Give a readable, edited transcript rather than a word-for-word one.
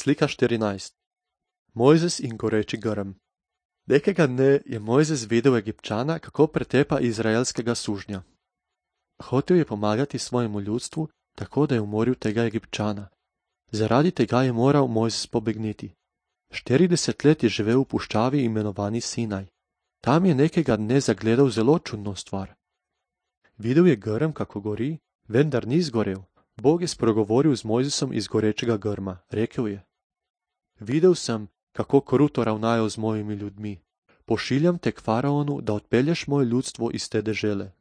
Slika 14. Mojzes in goreči grm. Nekega dne je Mojzes videl Egipčana, kako pretepa izraelskega sužnja. Hotel je pomagati svojemu ljudstvu, tako da je umoril tega Egipčana. Zaradi tega je moral Mojzes pobegniti. 40 let je živel v puščavi imenovani Sinaj. Tam je nekega dne zagledal zelo čudno stvar. Videl je grm, kako gori, vendar ni zgorel. Bog je spregovoril z Mojzesom iz gorečega grma. Rekel je: Videl sem, kako kruto ravnajo z mojimi ljudmi. Pošiljam te k faraonu, da odpelješ moje ljudstvo iz te dežele.